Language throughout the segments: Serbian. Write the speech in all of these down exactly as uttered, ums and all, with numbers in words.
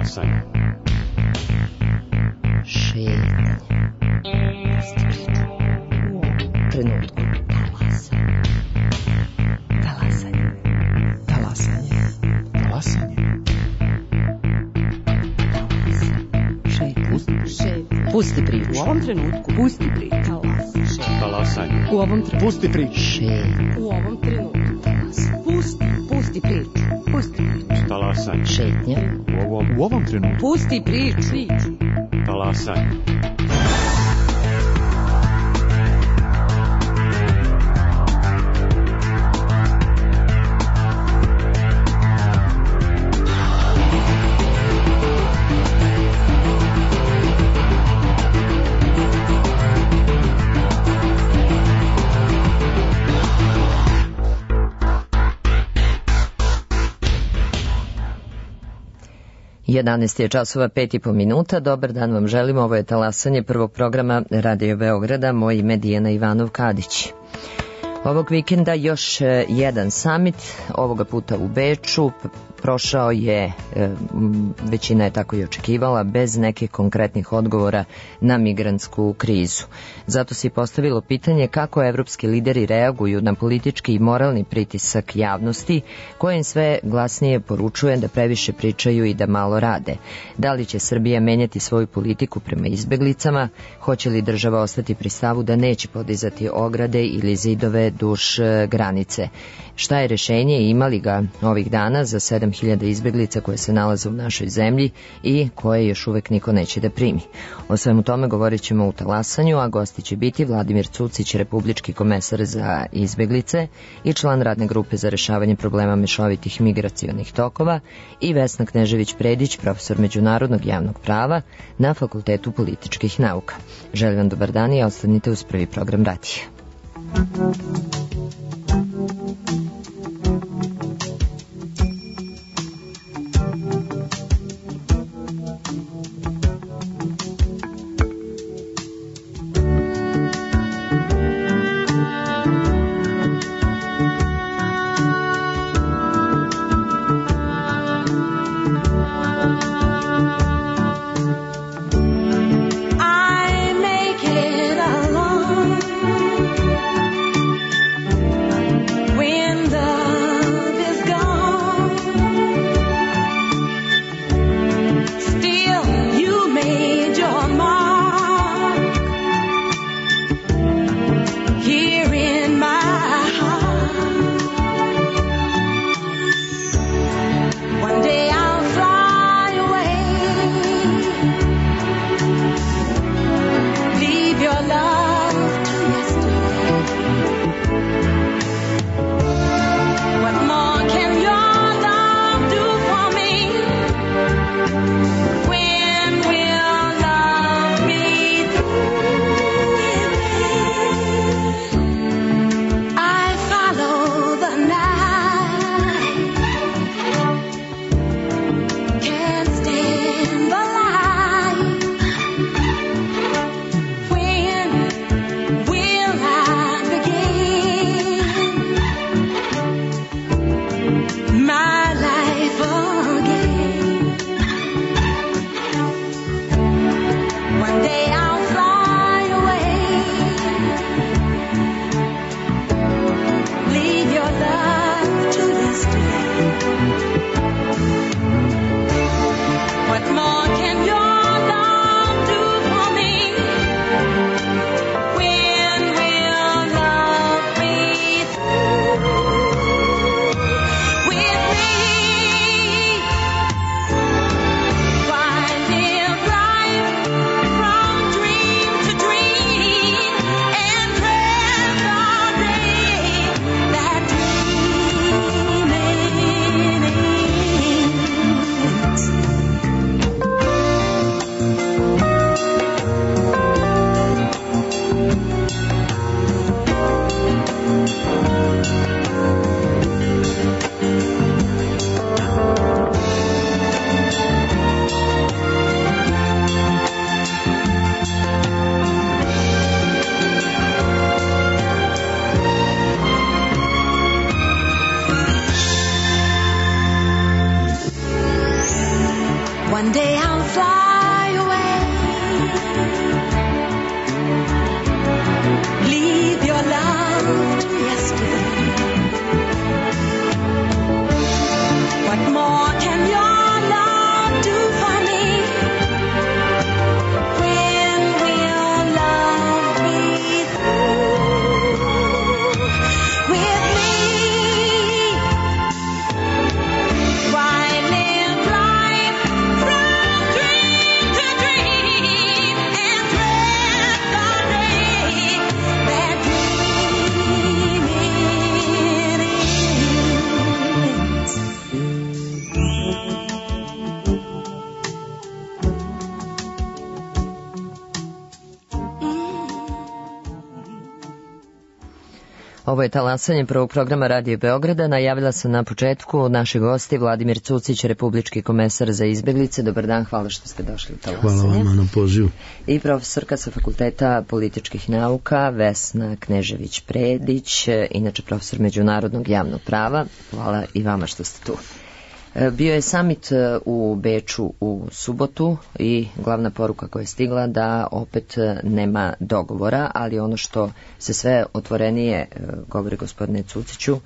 Talasanje. Šetnje. Trenutku. Talasanje. Talasanje. Talasanje. Šetnje. Pusti priču. U ovom trenutku. Pusti priču. Talasanje. U ovom trenutku. Pusti priču. Šetnje. U ovom trenutku. Pusti. Pusti priču. Pusti priču. Talasanje. Šetnje. U ovom, u ovom trenutku. Pusti priču. Priču. Talasanje. jedanaest je časova, pet i po minuta. Dobar dan vam želimo. Ovo je talasanje prvog programa Radio Beograda. Moje ime je Dijana Ivanov-Kadić. Ovog vikenda još jedan samit, ovoga puta u Beču. Prošao je, većina je tako i očekivala, bez nekih konkretnih odgovora na migrantsku krizu. Zato se i postavilo pitanje kako evropski lideri reaguju na politički i moralni pritisak javnosti, koje im sve glasnije poručuje da previše pričaju i da malo rade. Da li će Srbija menjati svoju politiku prema izbeglicama? Hoće li država ostati pri stavu da neće podizati ograde ili zidove duž granice? Šta je rešenje i ima li ga ovih dana za sedam hiljada izbeglica koje se nalaze u našoj zemlji i koje još uvek niko neće da primi? O svemu tome govorit ćemo u talasanju, a gosti će biti Vladimir Cucić, republički komesar za izbeglice i član radne grupe za rešavanje problema mešovitih migracionih tokova, i Vesna Knežević-Predić, profesor međunarodnog javnog prava na Fakultetu političkih nauka. Želim vam dobar dan i ostanite uz prvi program radija. Ovo je talasanje prvog programa Radio Beograda. Najavila sam na početku naši gosti Vladimir Cucić, republički komesar za izbeglice. Dobar dan, hvala što ste došli u talasanje. Hvala vama na pozivu. I profesorka sa Fakulteta političkih nauka Vesna Knežević-Predić, inače profesor međunarodnog javnog prava. Hvala i vama što ste tu. Bio je samit u Beču u subotu i glavna poruka koja je stigla da opet nema dogovora, ali ono što se sve otvorenije govori gospodine Cuciću,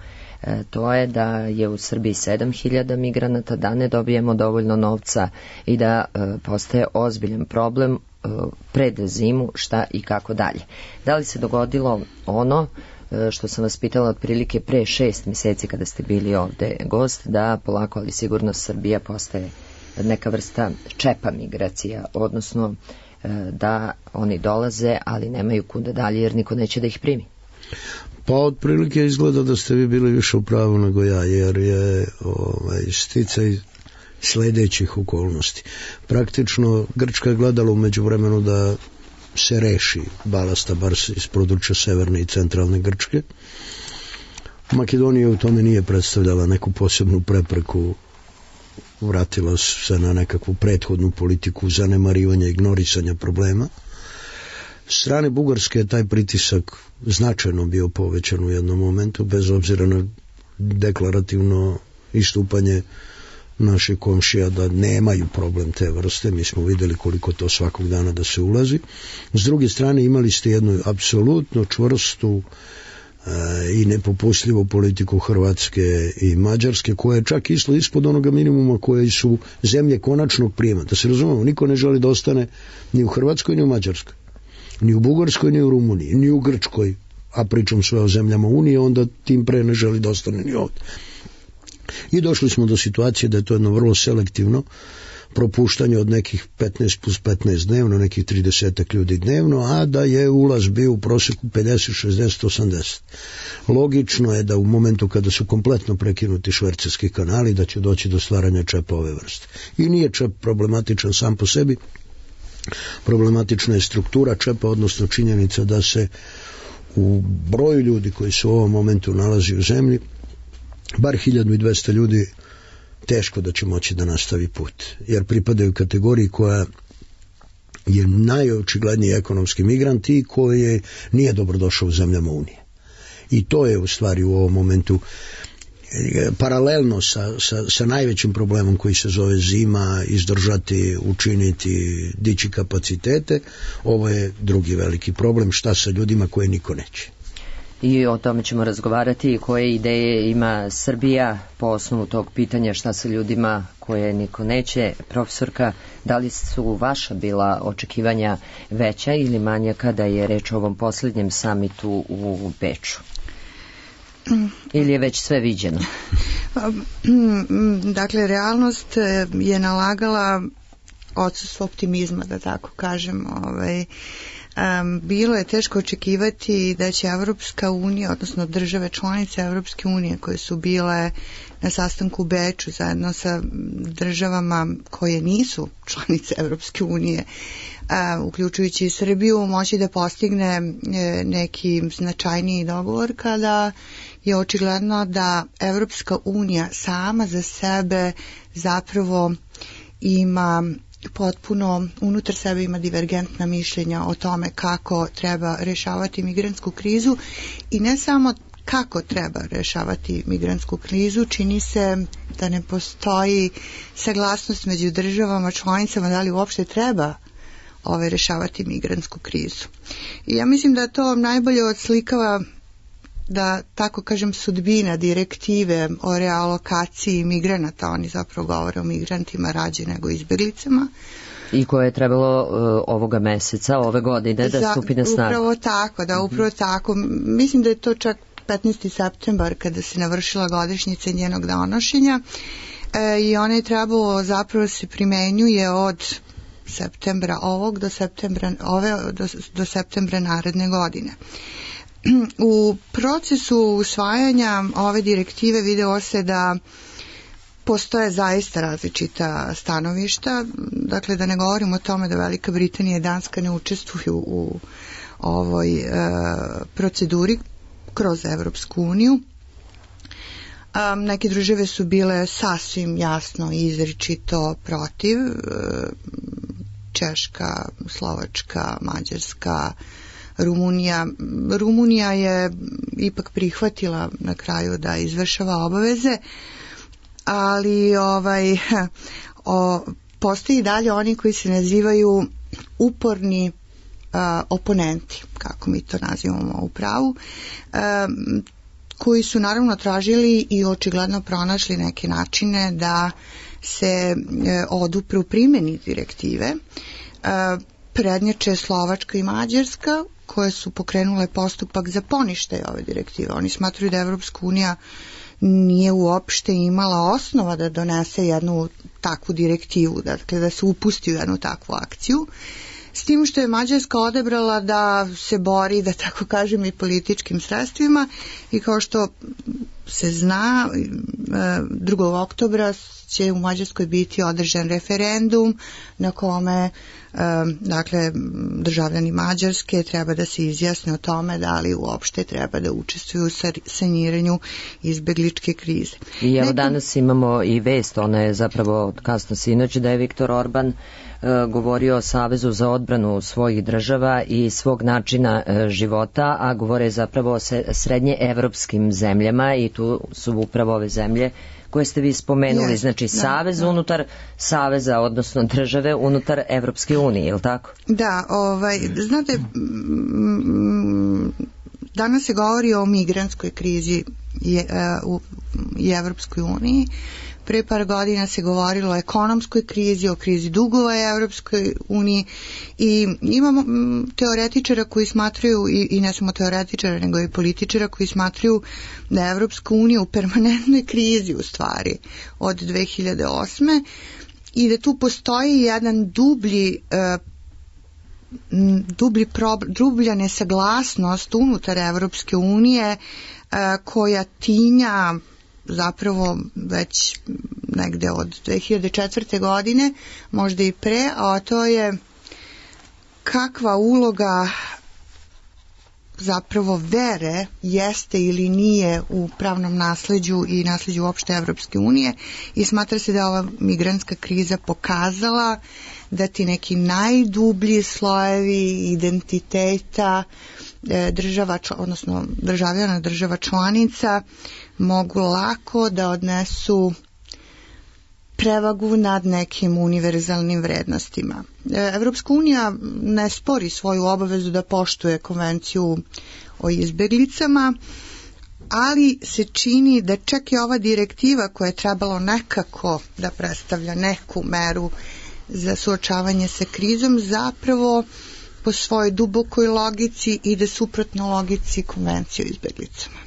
to je da je u Srbiji sedam hiljada migranata, da ne dobijemo dovoljno novca i da postaje ozbiljan problem pred zimu šta i kako dalje. Da li se dogodilo ono što sam vas pitala otprilike pre šest mjeseci kada ste bili ovde gost, da polako ali sigurno Srbija postaje neka vrsta čepa migracija, odnosno da oni dolaze ali nemaju kuda dalje jer niko neće da ih primi? Pa otprilike izgleda da ste vi bili više u pravu nego ja, jer je ovaj, sticaj sledećih okolnosti. Praktično Grčka je gledala u međuvremenu da se reši balasta bar iz područja severne i centralne Grčke. Makedonija u tome nije predstavljala neku posebnu prepreku, vratila se na nekakvu prethodnu politiku zanemarivanja, ignorisanja problema. S strane Bugarske je taj pritisak značajno bio povećan u jednom momentu, bez obzira na deklarativno istupanje naših komšija da nemaju problem te vrste. Mi smo videli koliko to svakog dana da se ulazi. S druge strane imali ste jednu apsolutno čvrstu e, i nepopustljivu politiku Hrvatske i Mađarske, koja je čak išla ispod onoga minimuma koje su zemlje konačnog prijema. Da se razumemo, niko ne želi da ostane ni u Hrvatskoj ni u Mađarskoj, ni u Bugarskoj ni u Rumuniji, ni u Grčkoj, a pričam sve o zemljama Unije, onda tim pre ne želi da ostane ni ovdje. I došli smo do situacije da je to jedno vrlo selektivno propuštanje od nekih petnaest plus petnaest dnevno, nekih trideset ljudi dnevno, a da je ulaz bio u prosjeku pedeset, šezdeset, osamdeset. Logično je da u momentu kada su kompletno prekinuti švercerski kanali da će doći do stvaranja čepa ove vrste. I nije čep problematičan sam po sebi, problematična je struktura čepa, odnosno činjenica da se u broju ljudi koji se u ovom momentu nalazi u zemlji bar hiljadu dvesta ljudi teško da će moći da nastavi put, jer pripadaju kategoriji koja je najočigledniji ekonomski migrant i koji nije dobrodošao u zemljama Unije. I to je u stvari u ovom momentu paralelno sa, sa, sa najvećim problemom koji se zove zima, izdržati, učiniti, dići kapacitete. Ovo je drugi veliki problem, šta sa ljudima koje niko neće. I o tome ćemo razgovarati i koje ideje ima Srbija po osnovu tog pitanja šta sa ljudima koje niko neće. Profesorka, da li su vaša bila očekivanja veća ili manja kada je reč o ovom posljednjem samitu u Beču? Ili je već sve viđeno? Dakle, realnost je nalagala odsustvo optimizma, da tako kažem. Ovaj, Um, bilo je teško očekivati da će Evropska unija, odnosno države članice Evropske unije koje su bile na sastanku u Beču zajedno sa državama koje nisu članice Evropske unije, uh, uključujući i Srbiju, moći da postigne uh, neki značajniji dogovor kada je očigledno da Evropska unija sama za sebe zapravo ima potpuno unutar sebe ima divergentna mišljenja o tome kako treba rešavati migrantsku krizu i ne samo kako treba rešavati migrantsku krizu, čini se da ne postoji saglasnost među državama članicama da li uopšte treba ove rešavati migrantsku krizu. I ja mislim da to najbolje odslikava, da tako kažem, sudbina direktive o realokaciji migranata. Oni zapravo govore o migrantima rađe nego izbjeglicama. I koje je trebalo uh, ovoga meseca, ove godine da Za, stupi na snagu. Upravo tako, da, upravo mm-hmm. tako. Mislim da je to čak petnaesti septembar kada se navršila godišnjica njenog donošenja e, i ona je trebalo zapravo se primenjuje od septembra ovog do septembra, ove, do, do septembra naredne godine. U procesu usvajanja ove direktive video se da postoje zaista različita stanovišta, dakle da ne govorimo o tome da Velika Britanija i Danska ne učestvuju u ovoj e, proceduri kroz Evropsku uniju. Um, neke države su bile sasvim jasno i izričito protiv, Češka, Slovačka, Mađarska, Rumunija. Rumunija je ipak prihvatila na kraju da izvršava obaveze, ali ovaj, o, postoji dalje oni koji se nazivaju uporni a, oponenti, kako mi to nazivamo u pravu, a, koji su naravno tražili i očigledno pronašli neke načine da se e, odupru primjeni direktive. E, prednjače Slovačka i Mađarska, koje su pokrenule postupak za poništaj ove direktive. Oni smatruju da Evropska unija nije uopšte imala osnova da donese jednu takvu direktivu, dakle da se upusti u jednu takvu akciju. S tim što je Mađarska odebrala da se bori, da tako kažem, i političkim sredstvima, i kao što se zna, drugog oktobra će u Mađarskoj biti održan referendum na kome dakle državljani Mađarske treba da se izjasne o tome da li uopšte treba da učestvuju u saniranju izbegličke krize. I evo danas imamo i vest, ona je zapravo kasno sinoć, da je Viktor Orban govorio o Savezu za odbranu svojih država i svog načina života, a govore zapravo o srednje evropskim zemljama, i tu su upravo ove zemlje koje ste vi spomenuli, yes, znači da, savez da. unutar saveza, odnosno države unutar Evropske unije, je li tako? Da, ovaj, znate, danas se govori o migrantskoj krizi je, uh, u Evropskoj uniji. Pre par godina se govorilo o ekonomskoj krizi, o krizi dugova u Evropskoj uniji, i imamo teoretičara koji smatraju, i, i ne samo teoretičara, nego i političara koji smatraju da je Evropska unija u permanentnoj krizi u stvari od dve hiljade osme i da tu postoji jedan dublji dublji problem, dublja nesaglasnost unutar Evropske unije koja tinja zapravo već negde od dve hiljade četvrte godine, možda i pre, a to je kakva uloga zapravo vere jeste ili nije u pravnom nasleđu i nasleđu uopšte Evropske unije, i smatra se da ova migrantska kriza pokazala da ti neki najdublji slojevi identiteta država, odnosno državljana država članica mogu lako da odnesu prevagu nad nekim univerzalnim vrednostima. Evropska unija ne spori svoju obavezu da poštuje konvenciju o izbeglicama, ali se čini da čak i ova direktiva koja je trebalo nekako da predstavlja neku meru za suočavanje sa krizom, zapravo po svojoj dubokoj logici ide suprotno logici konvencije o izbeglicama.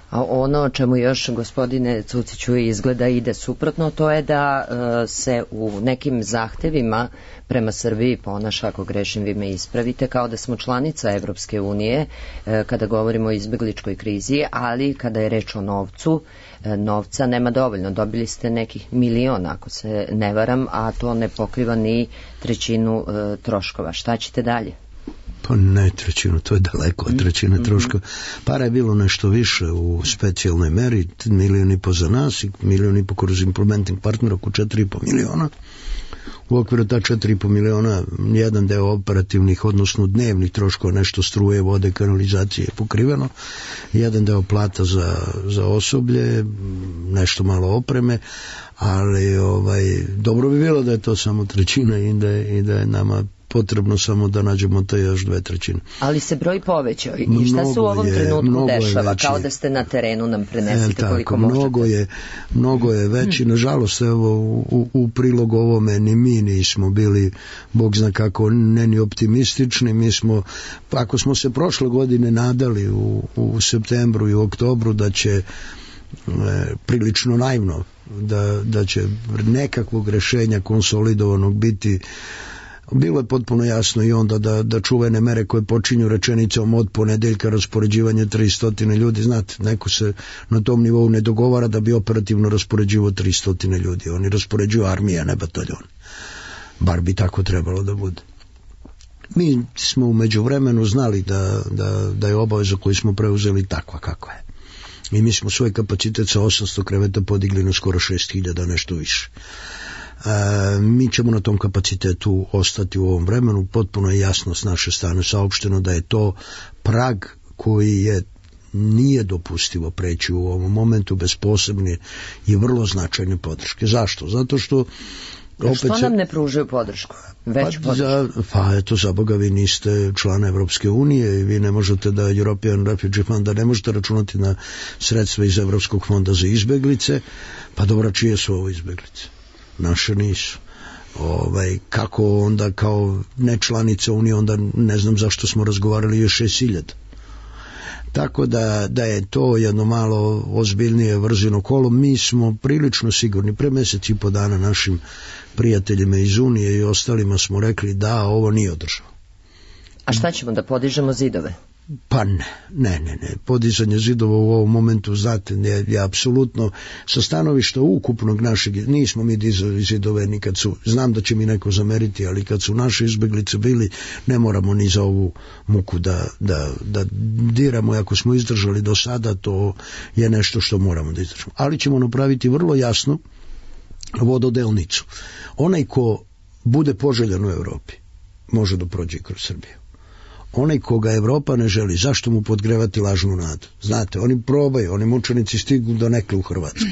A ono o čemu još, gospodine Cuciću, izgleda ide suprotno, to je da e, se u nekim zahtevima prema Srbiji ponaša, ako grešim vi me ispravite, kao da smo članica Evropske unije e, kada govorimo o izbegličkoj krizi, ali kada je reč o novcu, e, novca nema dovoljno. Dobili ste nekih miliona, ako se ne varam, a to ne pokriva ni trećinu e, troškova. Šta ćete dalje? Pa ne trećinu, to je daleko od trećine troška. Para je bilo nešto više u specijalnoj meri, milijon i po za nas i milijon i po kroz implementing partner, oko četiri i po miliona. U okviru ta četiri i po miliona jedan deo operativnih, odnosno dnevnih troškova, nešto struje, vode, kanalizacije je pokriveno, jedan deo plata za, za osoblje, nešto malo opreme, ali ovaj, dobro bi bilo da je to samo trećina i da je, i da je nama potrebno samo da nađemo te još dve trećine. Ali se broj povećao. I šta se u ovom je, trenutku dešava? Kao da ste na terenu, nam prenesite e, tako, koliko možete. Mnogo je, mnogo je veći. Hmm. Nažalost, evo, u, u prilog ovome ni mi nismo bili, Bog zna kako, ne ni optimistični. Mi smo, ako smo se prošle godine nadali u, u septembru i u oktobru da će e, prilično naivno, da, da će nekakvog rešenja konsolidovanog biti, bilo je potpuno jasno i onda da, da čuvene mere koje počinju rečenicom od ponedeljka raspoređivanje tristo ljudi, znate, neko se na tom nivou ne dogovara da bi operativno raspoređivo tristo ljudi, oni raspoređuju armije, ne bataljon. Bar bi tako trebalo da bude. Mi smo u međuvremenu znali da, da, da je obaveza koju smo preuzeli takva kakva je. I mi smo svoj kapacitet sa osamsto kreveta podigli na skoro šest hiljada, nešto više. E, mi ćemo na tom kapacitetu ostati u ovom vremenu. Potpuno je jasno s naše strane saopšteno da je to prag koji je nije dopustivo preći u ovom momentu bez posebne i vrlo značajne podrške. Zašto? Zato što opet što se, nam ne pružaju podršku? Veću pa, podršku? Za, pa eto, za Boga, vi niste član Evropske unije i vi ne možete da European Refugee Fund, da ne možete računati na sredstva iz Evropskog fonda za izbeglice. Pa dobra, čije su ovo izbeglice? Naše nisu. Ovaj, kako onda kao nečlanica Unije, onda ne znam zašto smo razgovarali još šest hiljada. Tako da, da je to jedno malo ozbiljnije vrzino kolo. Mi smo prilično sigurni, pre mjesec i po dana našim prijateljima iz Unije i ostalima smo rekli da ovo nije održava. A šta ćemo, da podižemo zidove? Pa ne, ne, ne, ne. Podizanje zidova u ovom momentu, znate, je, je apsolutno sa stanovišta ukupnog našeg, nismo mi dizali zidove nikad su, znam da će mi neko zameriti, ali kad su naše izbeglice bili, ne moramo ni za ovu muku da, da, da diramo, ako smo izdržali do sada, to je nešto što moramo da izdržamo. Ali ćemo napraviti vrlo jasno vododelnicu. Onaj ko bude poželjan u Evropi, može da prođe kroz Srbiju. Onaj koga Evropa ne želi, zašto mu podgrevati lažnu nadu? Znate, oni probaju, oni mučenici stignu do nekle u Hrvatsku.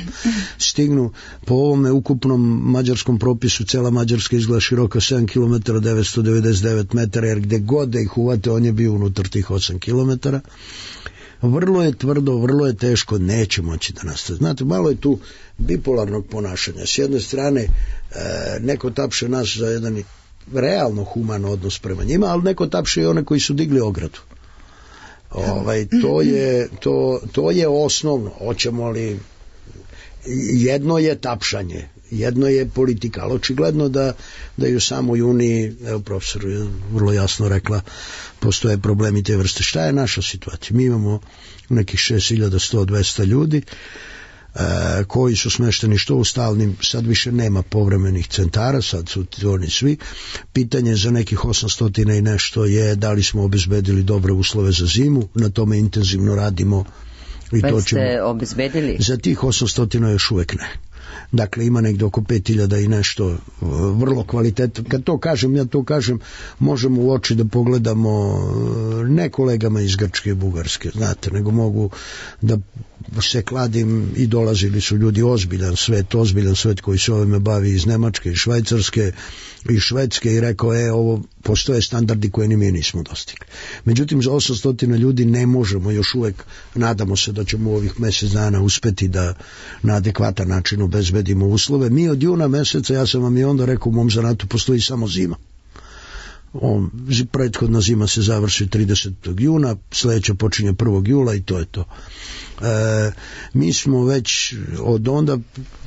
Stignu po ovome ukupnom mađarskom propisu, cela Mađarska izgleda široka sedam kilometara devetsto devedeset devet metara, jer gde god da ih uvate, on je bio unutar tih osam kilometara. Vrlo je tvrdo, vrlo je teško, neće moći da nastane. Znate, malo je tu bipolarnog ponašanja. S jedne strane, e, neko tapše nas za jedan realno human odnos prema njima, ali neko tapše i one koji su digli ogradu. Ovaj, to, je, to, to je osnovno. Hoćemo li, jedno je tapšanje, jedno je politika, ali očigledno da, da i u samoj Uniji, evo profesor je vrlo jasno rekla, postoje problemi te vrste. Šta je naša situacija? Mi imamo nekih šest hiljada sto do dvesta ljudi, E, koji su smešteni što u stalnim, sad više nema povremenih centara, sad su oni svi. Pitanje za nekih osamsto i nešto je da li smo obezbedili dobre uslove za zimu, na tome intenzivno radimo i Već to ćemo. ste obezbedili? Za tih osamsto još uvek ne. Dakle, ima negdje oko pet hiljada i nešto vrlo kvalitetno. Kad to kažem, ja to kažem, možemo u oči da pogledamo ne kolegama iz Grčke i Bugarske, znate, nego mogu da se kladim i dolazili su ljudi, ozbiljan svet, ozbiljan svet koji se ovime bavi iz Nemačke, iz Švajcarske, iz Švedske i rekao, e, ovo postoje standardi koje ni mi nismo dostigli. Međutim, za osamsto ljudi ne možemo još uvek, nadamo se da ćemo u ovih mjesec dana uspeti da na adekvatan način obezbedimo uslove. Mi od juna meseca, ja sam vam i onda rekao, u mom zanatu postoji samo zima. On, prethodna zima se završi tridesetog juna, sljedeća počinje prvog jula i to je to. E, mi smo već od onda,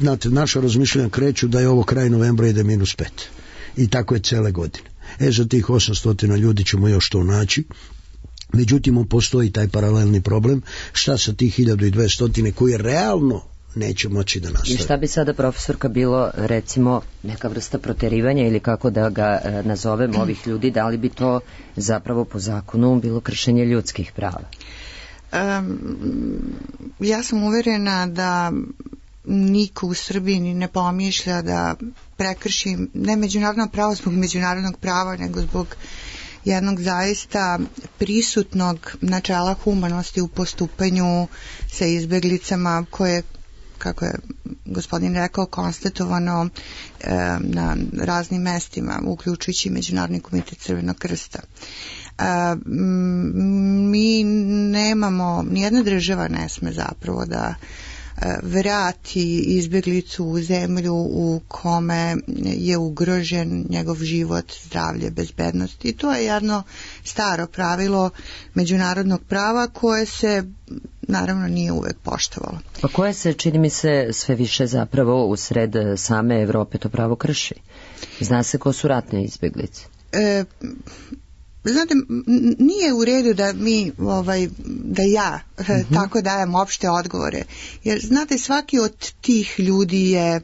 znate, naša razmišljanja kreću da je ovo kraj novembra ide minus pet. I tako je cele godine. E, za tih osamsto ljudi ćemo još to naći. Međutim, postoji taj paralelni problem. Šta sa tih hiljadu dvesta koji realno neće moći da nastavi? I šta bi sada, profesorka, bilo, recimo, neka vrsta proterivanja ili kako da ga e, nazovemo ovih ljudi, da li bi to zapravo po zakonu bilo kršenje ljudskih prava? Um, ja sam uverena da niko u Srbiji ni ne pomišlja da prekrši ne međunarodno pravo zbog međunarodnog prava, nego zbog jednog zaista prisutnog načela humanosti u postupanju sa izbeglicama koje, kako je gospodin rekao, konstatovano e, na raznim mestima, uključujući Međunarodni komitet Crvenog krsta. E, mi nemamo, nijedna država ne sme zapravo da vrati izbjeglicu u zemlju u kome je ugrožen njegov život, zdravlje, bezbednost. I to je jedno staro pravilo međunarodnog prava koje se naravno nije uvek poštovalo. Pa koje se, čini mi se, sve više zapravo u sred same Evrope to pravo krši? Zna se ko su ratne izbjeglice? E, Znate, nije u redu da mi, ovaj, da ja mm-hmm. tako dajem opšte odgovore. Jer, znate, svaki od tih ljudi je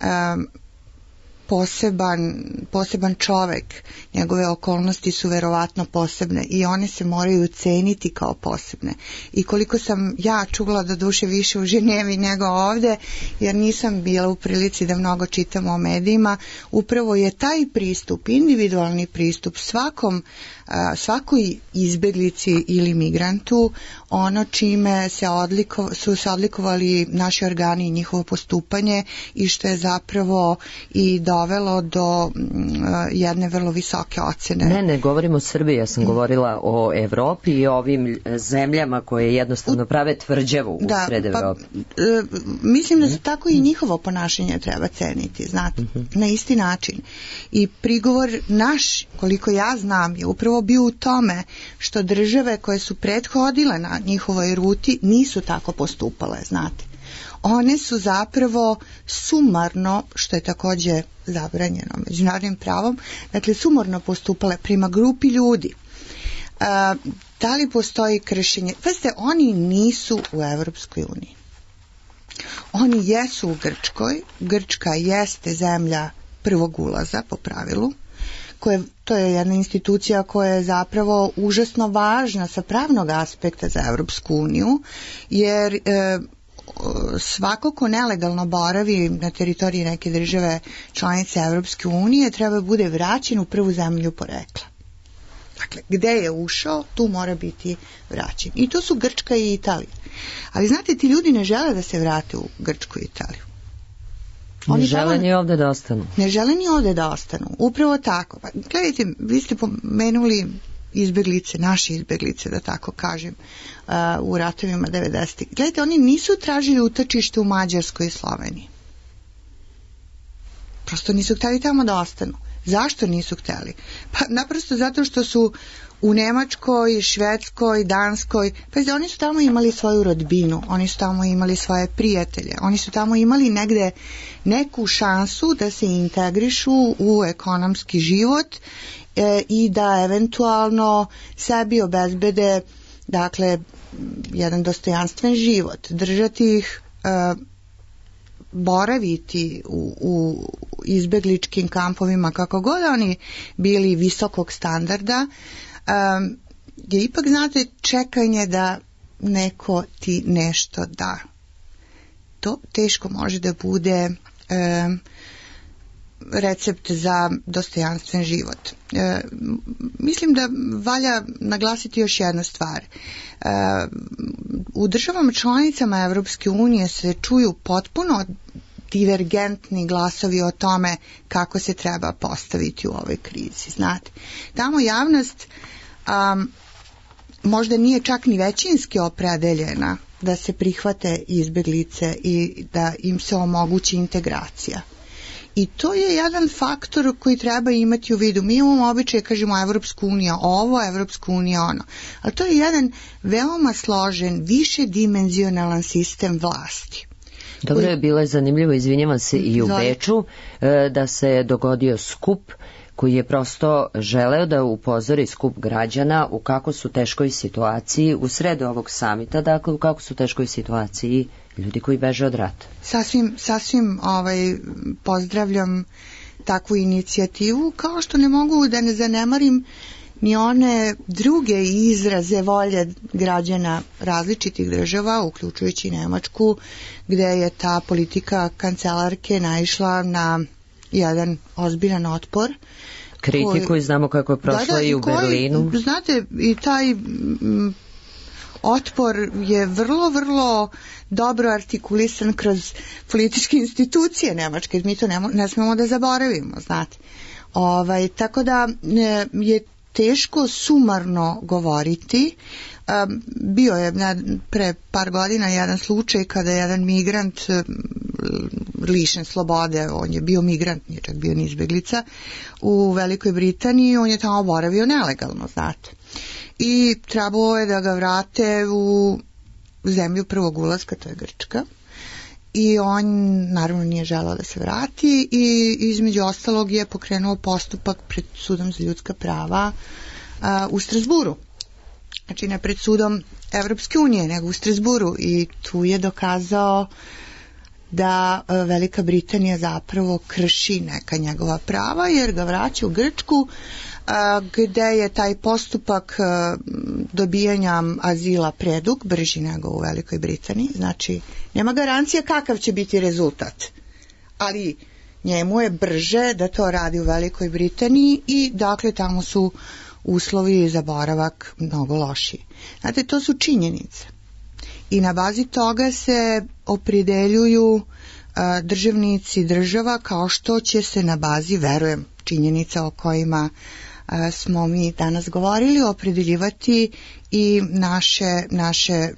um, poseban, poseban čovek, njegove okolnosti su verovatno posebne i one se moraju ceniti kao posebne. I koliko sam ja čula do duše više u Ženevi nego ovde, jer nisam bila u prilici da mnogo čitam o medijima, upravo je taj pristup, individualni pristup svakom, svakoj izbeglici ili migrantu ono čime se odliko, su se odlikovali naši organi i njihovo postupanje i što je zapravo i dovelo do jedne vrlo visoke ocene. Ne, ne govorimo o Srbiji, ja sam mm. govorila o Evropi i o ovim zemljama koje jednostavno prave tvrđavu da, usred Evrope. Pa, e, mislim da se tako i njihovo ponašanje treba ceniti, znate, mm-hmm. na isti način. I prigovor naš, koliko ja znam, je upravo bio u tome što države koje su prethodile na njihovoj ruti nisu tako postupale, znate. One su zapravo sumarno, što je takođe zabranjeno međunarodnim pravom, dakle sumarno postupale prema grupi ljudi. A, da li postoji kršenje? Pazite, oni nisu u Evropskoj uniji. Oni jesu u Grčkoj. Grčka jeste zemlja prvog ulaza po pravilu. Koje, to je jedna institucija koja je zapravo užasno važna sa pravnog aspekta za Evropsku uniju, jer e, svako ko nelegalno boravi na teritoriji neke države članice Evropske unije treba bude vraćen u prvu zemlju porekla. Dakle, gde je ušao, tu mora biti vraćen. I to su Grčka i Italija. Ali znate, ti ljudi ne žele da se vrate u Grčku i Italiju. Oni ne žele ni ovde da ostanu. Ne žele ni ovde da ostanu. Upravo tako. Pa, gledajte, vi ste pomenuli izbeglice, naše izbeglice, da tako kažem, uh, u ratovima devedesetih. Gledajte, oni nisu tražili utočište u Mađarskoj i Sloveniji. Prosto nisu hteli tamo da ostanu. Zašto nisu hteli? Pa naprosto zato što su u Nemačkoj, Švedskoj, Danskoj, pa oni su tamo imali svoju rodbinu, oni su tamo imali svoje prijatelje, oni su tamo imali negde neku šansu da se integrišu u ekonomski život e, i da eventualno sebi obezbede, dakle, jedan dostojanstven život, držati ih, e, boraviti u, u izbegličkim kampovima kako god oni bili visokog standarda, Um, je ipak, znate, čekanje da neko ti nešto da. To teško može da bude um, recept za dostojanstven život. Um, mislim da valja naglasiti još jednu stvar. Um, u državama članicama Evropske unije se čuju potpuno divergentni glasovi o tome kako se treba postaviti u ovoj krizi. Znate, tamo javnost um, možda nije čak ni većinski opredeljena da se prihvate izbeglice i da im se omogući integracija. I to je jedan faktor koji treba imati u vidu. Mi imamo običaj, kažemo, Evropsku uniju ovo, Evropsku uniju ono. Ali to je jedan veoma složen, višedimenzionalan sistem vlasti. Dobro je bilo je zanimljivo, izvinjavam se, i u Beču da se dogodio skup koji je prosto želeo da upozori skup građana u kako su teškoj situaciji u sredu ovog samita, dakle u kako su teškoj situaciji ljudi koji beže od rata. Sasvim, sasvim ovaj, pozdravljam takvu inicijativu, kao što ne mogu da ne zanemarim ni one druge izraze volje građana različitih država, uključujući Nemačku, gde je ta politika kancelarke naišla na jedan ozbiljan otpor. Kritiku koji, i znamo kako je prošla da, da, i u koji, Berlinu. Znate, i taj m, otpor je vrlo, vrlo dobro artikulisan kroz političke institucije Nemačke. Mi to ne, ne smemo da zaboravimo, znate. Ovaj, tako da je teško sumarno govoriti. Um, bio je pre par godina jedan slučaj kada je jedan migrant lišen slobode, on je bio migrant, nije čak bio ni izbeglica, u Velikoj Britaniji, on je tamo boravio nelegalno, znate. I trebalo je da ga vrate u zemlju prvog ulaska, to je Grčka. I on naravno nije želeo da se vrati i između ostalog je pokrenuo postupak pred sudom za ljudska prava a, u Strasburu. Znači ne pred sudom Evropske unije, nego u Strasburu, i tu je dokazao da Velika Britanija zapravo krši neka njegova prava jer ga vraća u Grčku gde je taj postupak dobijanja azila predug, brži nego u Velikoj Britaniji, znači nema garancija kakav će biti rezultat, ali njemu je brže da to radi u Velikoj Britaniji i dakle tamo su uslovi za boravak mnogo lošiji. Znate, to su činjenice i na bazi toga se opredeljuju a, državnici država kao što će se na bazi, verujem, činjenica o kojima a, smo mi danas govorili, opredeljivati i naše, naše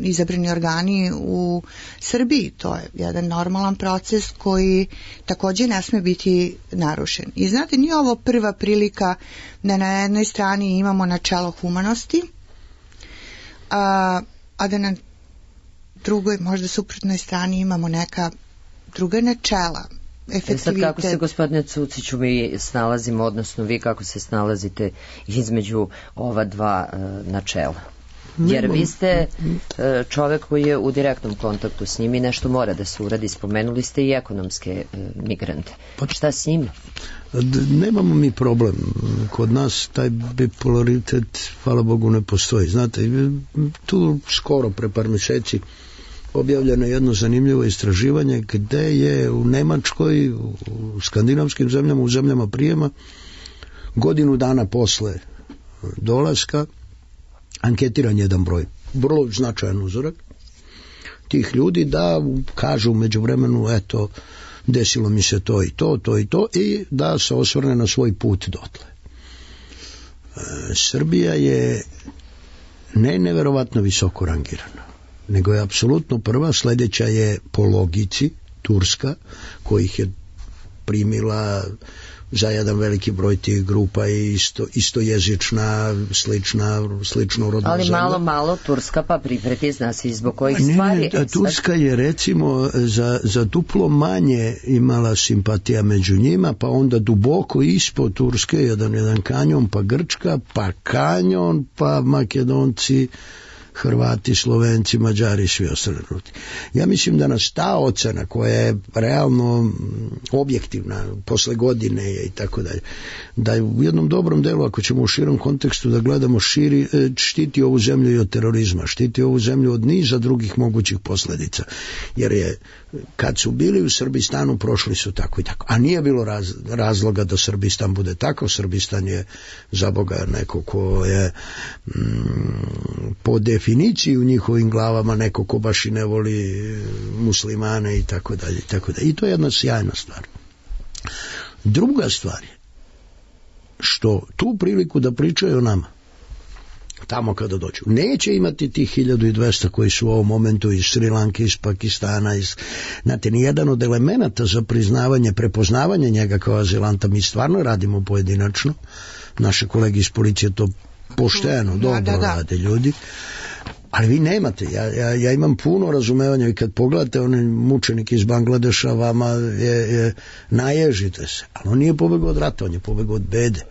izabrani organi u Srbiji. To je jedan normalan proces koji također ne sme biti narušen. I znate, nije ovo prva prilika da na jednoj strani imamo načelo humanosti, a, a da na drugoj, možda suprotnoj strani imamo neka druga načela. Efektivitet. Sad kako se, gospodine Cuciću, mi snalazimo, odnosno vi kako se snalazite između ova dva uh, načela? Jer vi ste uh, čovek koji je u direktnom kontaktu s njimi, nešto mora da se uradi, spomenuli ste i ekonomske uh, migrante. Pa šta s njima? Nemamo mi problem. Kod nas taj bipolaritet, hvala Bogu, ne postoji. Znate, tu skoro pre par mjeseci objavljeno jedno zanimljivo istraživanje gde je u Nemačkoj, u skandinavskim zemljama, u zemljama prijema, godinu dana posle dolaska anketiran jedan broj, vrlo značajan uzorak tih ljudi da kažu među vremenu, eto, desilo mi se to i to, to i to, i da se osvrne na svoj put dotle. E, Srbija je ne neverovatno visoko rangirana, nego je apsolutno prva, sljedeća je po logici Turska, kojih je primila za jedan veliki broj tih grupa i isto, istojezična, slična, slično rodna ali zemlja. malo, malo Turska pa pripreti, zna se zbog kojih ne, stvari. Ne, Turska je recimo za, za duplo manje imala simpatija među njima, pa onda duboko ispod Turske jedan, jedan kanjon, pa Grčka, pa kanjon, pa Makedonci, Hrvati, Slovenci, Mađari, svi ostali ljudi. Ja mislim da nas ta ocena koja je realno objektivna posle godine i tako dalje, da je u jednom dobrom delu, ako ćemo u širom kontekstu da gledamo, širi, štiti ovu zemlju i od terorizma, štiti ovu zemlju od niza drugih mogućih posljedica, jer je kad su bili u Srbistanu prošli su tako i tako, a nije bilo raz, razloga da Srbistan bude tako. Srbistan je za Boga neko ko je mm, po definiciji u njihovim glavama neko ko baš i ne voli muslimane i tako dalje i tako dalje. I to je jedna sjajna stvar. Druga stvar je što tu priliku da pričaju o nama tamo kada dođu neće imati tih hiljadu i dvesta koji su u ovom momentu iz Sri Lanke, iz Pakistana, iz, znate, nijedan od elemenata za priznavanje, prepoznavanje njega kao azilanta, mi stvarno radimo pojedinačno, naše kolege iz policije to pošteno, dobro da, da, da. rade ljudi, ali vi nemate, ja, ja, ja imam puno razumevanja i kad pogledate onaj mučenik iz Bangladeša, vama je, je naježite se, ali on nije pobegao od rata, on je pobegao od bede.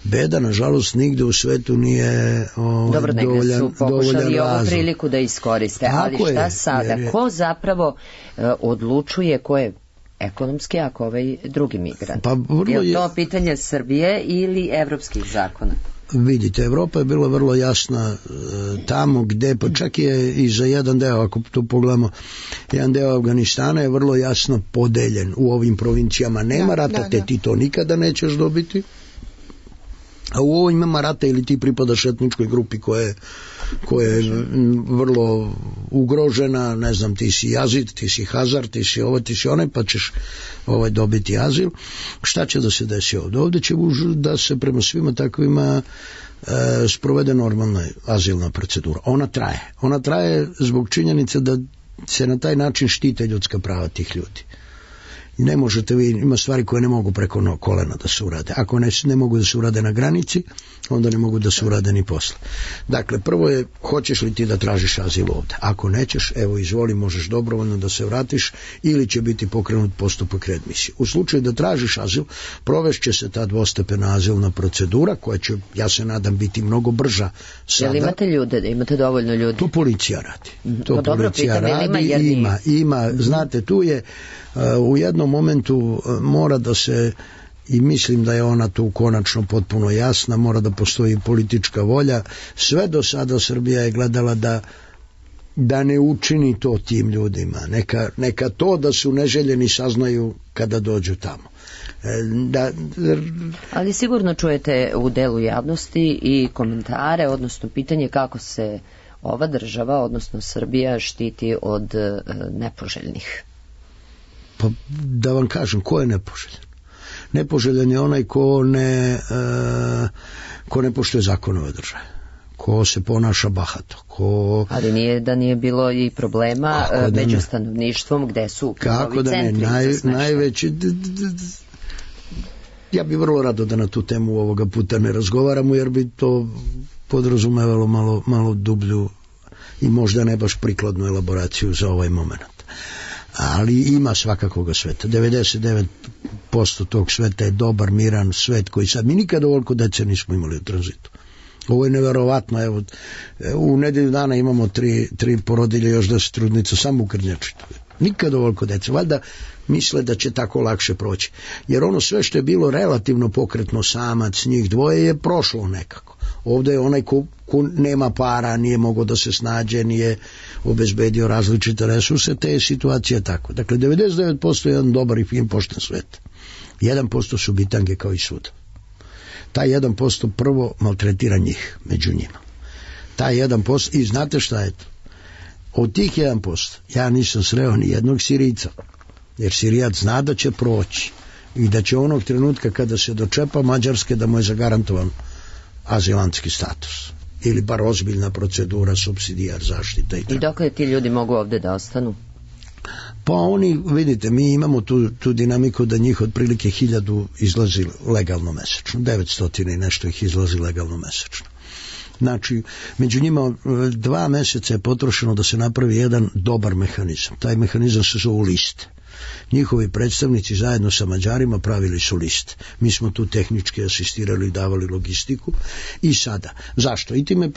Beda, nažalost, nigde u svetu nije ovaj, dobro, dovoljan, su pokušali ovu razlog. priliku da iskoriste, tako ali šta je, sada? je... Ko zapravo uh, odlučuje ko je ekonomski, ako ovaj drugi migrant? Pa, vrlo je to pitanje Srbije ili evropskih zakona? Vidite, Evropa je bila vrlo jasna e, tamo gde, pa čak je i za jedan deo, ako to pogledamo, jedan deo Afganistana je vrlo jasno podeljen u ovim provincijama. Nema da, rata, da, te da. Ti to nikada nećeš dobiti. A u ovoj ima rata ili ti pripadaš etničkoj grupi koja je, koja je vrlo ugrožena, ne znam, ti si Jazid, ti si Hazar, ti si ovo, ti si onaj, pa ćeš ovaj, dobiti azil. Šta će da se desi ovdje? Ovdje će da se prema svima takvima e, sprovede normalna azilna procedura. Ona traje. Ona traje zbog činjenice da se na taj način štite ljudska prava tih ljudi. ne možete vi, ima stvari koje ne mogu preko no, kolena da se urade. Ako ne, ne mogu da se urade na granici, onda ne mogu da se urade ni posle. Dakle, prvo je, hoćeš li ti da tražiš azil ovde? Ako nećeš, evo izvoli, možeš dobrovoljno da se vratiš ili će biti pokrenut postupak readmisije. U slučaju da tražiš azil, provešće se ta dvostepena azilna procedura koja će, ja se nadam, biti mnogo brža sada. Jel imate ljude, imate dovoljno ljudi? To policija radi. To no, dobro, policija pitam, radi, ima, jer ima, ima, znate, tu je uh, u jednom momentu uh, mora da se, i mislim da je ona tu konačno potpuno jasna, mora da postoji politička volja. Sve do sada Srbija je gledala da da ne učini to tim ljudima. Neka, neka to da su neželjeni saznaju kada dođu tamo. Da, ali sigurno čujete u delu javnosti i komentare, odnosno pitanje kako se ova država, odnosno Srbija, štiti od e, nepoželjnih. Pa da vam kažem, ko je nepoželjan? Nepoželjan je onaj ko ne, e, ko ne poštuje zakonove države, ko se ponaša bahato, ko... Ali nije da nije bilo i problema da među ne. stanovništvom gde su kako da ne, naj, najveći... D, d, d, ja bih vrlo rado da na tu temu ovoga puta ne razgovaramo, jer bi to podrazumevalo malo, malo dublju i možda ne baš prikladnu elaboraciju za ovaj moment. Ali ima svakakvoga sveta. devedeset devet posto tog sveta je dobar, miran svet koji sad... Mi nikada ovoliko dece nismo imali u tranzitu. Ovo je neverovatno. Evo, u nedelju dana imamo tri, tri porodilje, još da se trudnica samo u Krnjačitu. Nikada ovoliko dece. Valjda misle da će tako lakše proći. Jer ono sve što je bilo relativno pokretno, samac, njih dvoje, je prošlo nekako. Ovdje je onaj ko, ko nema para, nije mogao da se snađe, nije obezbedio različite resurse, te je situacija tako. Dakle, devedeset devet posto je jedan dobar i fin pošten svet. jedan posto su bitange kao i svuda. Taj jedan posto prvo maltretira njih među njima. Taj jedan posto, i znate šta je to? Od tih jedan posto ja nisam sreo ni jednog Sirijca, jer Sirijac zna da će proći i da će onog trenutka kada se dočepa Mađarske da mu je zagarantovan azilantski status ili bar ozbiljna procedura, supsidijar zaštita. I, I dokle ti ljudi mogu ovde da ostanu? Pa oni, vidite, mi imamo tu, tu dinamiku da njih otprilike hiljadu izlazi legalno mesečno, devetsto i nešto ih izlazi legalno mesečno. Znači, među njima dva meseca je potrošeno da se napravi jedan dobar mehanizam. Taj mehanizam se zove liste. Njihovi predstavnici zajedno sa Mađarima pravili su liste. Mi smo tu tehnički asistirali i davali logistiku. I sada, zašto? I time je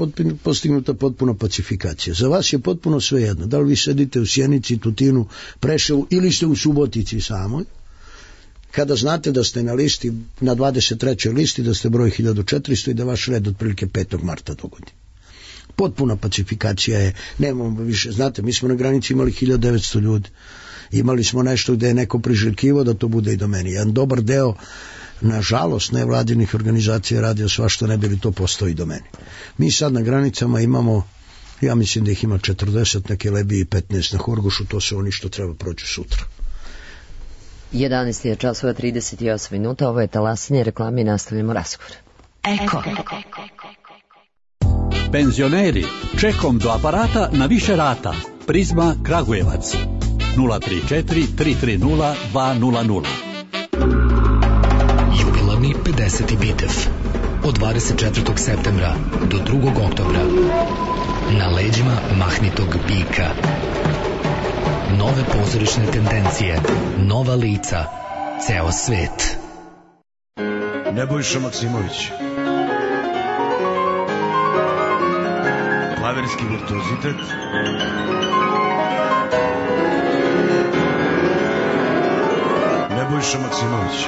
postignuta potpuna pacifikacija. Za vas je potpuno svejedno. Da li vi sedite u Sjenici, Tutinu, Preševu ili ste u Subotici samoj, kada znate da ste na listi, na dvadeset trećoj listi, da ste broj hiljadu četiristo i da vaš red otprilike petog marta dogodi. Potpuna pacifikacija je, nemamo više, znate, mi smo na granici imali hiljadu devetsto ljudi. Imali smo nešto gde je neko priželjkivao da to bude i do meni. Jedan dobar deo, nažalost, nevladinih organizacija radio svašta, ne bi li to postoji do meni. Mi sad na granicama imamo, ja mislim da ih ima četrdeset, neke Lebiji i petnaest na Horgošu, to su oni što treba proći sutra. jedanaest je časova trideset osam minuta, ovo je talasanje, reklame i nastavljamo razgovor. Eko. Penzioneri, čekom do aparata na više rata. Prizma Kragujevac. nula tri četiri tri tri nula dva nula nula. Jubilarni pedeseti Bitev od dvadeset četvrtog septembra do drugog oktobra na leđima mahnitog bika. Nove pozorišne tendencije, nova lica, ceo svet. Nebojša Maksimović. Klaverski virtuozitet. Nebojša Maksimović.